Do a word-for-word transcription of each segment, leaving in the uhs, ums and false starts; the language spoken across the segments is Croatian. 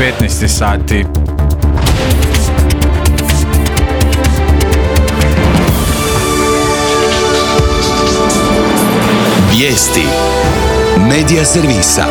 petnaest sati. Vijesti Medija servisa.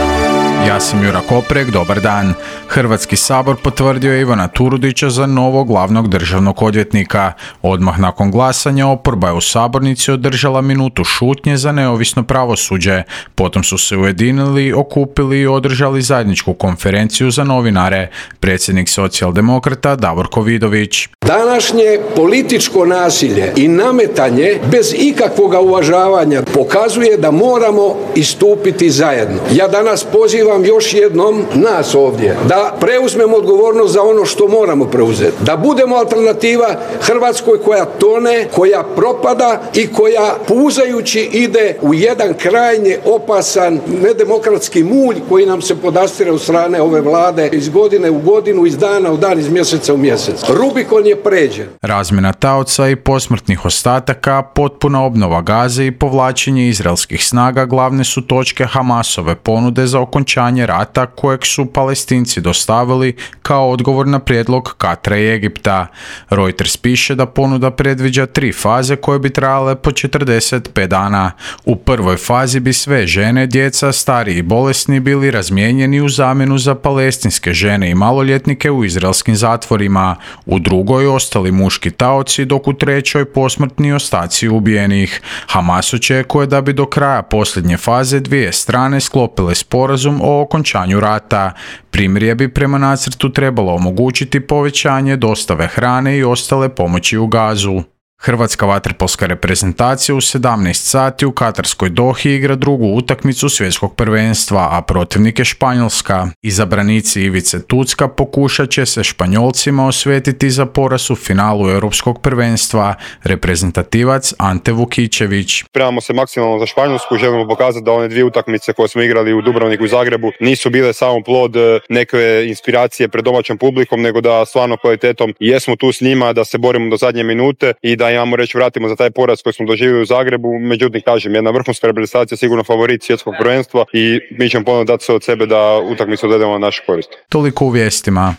Ja sam Jura Koprek, dobar dan. Hrvatski sabor potvrdio je Ivana Turudića za novog glavnog državnog odvjetnika. Odmah nakon glasanja oporba je u sabornici održala minutu šutnje za neovisno pravosuđe. Potom su se ujedinili, okupili i održali zajedničku konferenciju za novinare. Predsjednik socijaldemokrata Davorko Vidović. Današnje političko nasilje i nametanje bez ikakvog uvažavanja pokazuje da moramo istupiti zajedno. Ja danas pozivam još jednom nas ovdje da preuzmemo odgovornost za ono što moramo preuzeti. Da budemo alternativa Hrvatskoj koja tone, koja propada i koja puzajući ide u jedan krajnje opasan nedemokratski mulj koji nam se podastire od strane ove vlade iz godine u godinu, iz dana u dan, iz mjeseca u mjesec. Rubikon je pređen. Razmjena taoca i posmrtnih ostataka, potpuna obnova Gaze i povlačenje izraelskih snaga glavne su točke Hamasove ponude za okončanje rata kojeg su Palestinci dostavili kao odgovor na prijedlog Katara i Egipta. Reuters piše da ponuda predviđa tri faze koje bi trajale po četrdeset pet dana. U prvoj fazi bi sve žene, djeca, stari i bolesni bili razmijenjeni u zamjenu za palestinske žene i maloljetnike u izraelskim zatvorima. U drugoj ostali muški taoci, dok u trećoj posmrtni ostaci ubijenih. Hamas očekuje da bi do kraja posljednje faze dvije strane sklopile sporazum o okončanju rata. Primirje bi prema nacrtu trebalo omogućiti povećanje dostave hrane i ostale pomoći u Gazu. Hrvatska vaterpolska reprezentacija u sedamnaest sati u katarskoj Dohi igra drugu utakmicu svjetskog prvenstva, a protivnik je Španjolska. Izabranici Ivice Tucka pokušat će se Španjolcima osvetiti za poraz u finalu europskog prvenstva. Reprezentativac Ante Vukičević. Spremamo se maksimalno za Španjolsku, želimo pokazati da one dvije utakmice koje smo igrali u Dubrovniku i Zagrebu nisu bile samo plod neke inspiracije pred domaćom publikom, nego da stvarno kvalitetom jesmo tu s njima, da se borimo do zadnje minute i da imamo reći vratimo za taj poraz koji smo doživjeli u Zagrebu. Međutim, kažem, jedna vrhunska reprezentacija, sigurno favorit svjetskog prvenstva i mi ćemo ponovno dati sve od sebe da utakmicu odvedemo na našu korist. Toliko u vijestima.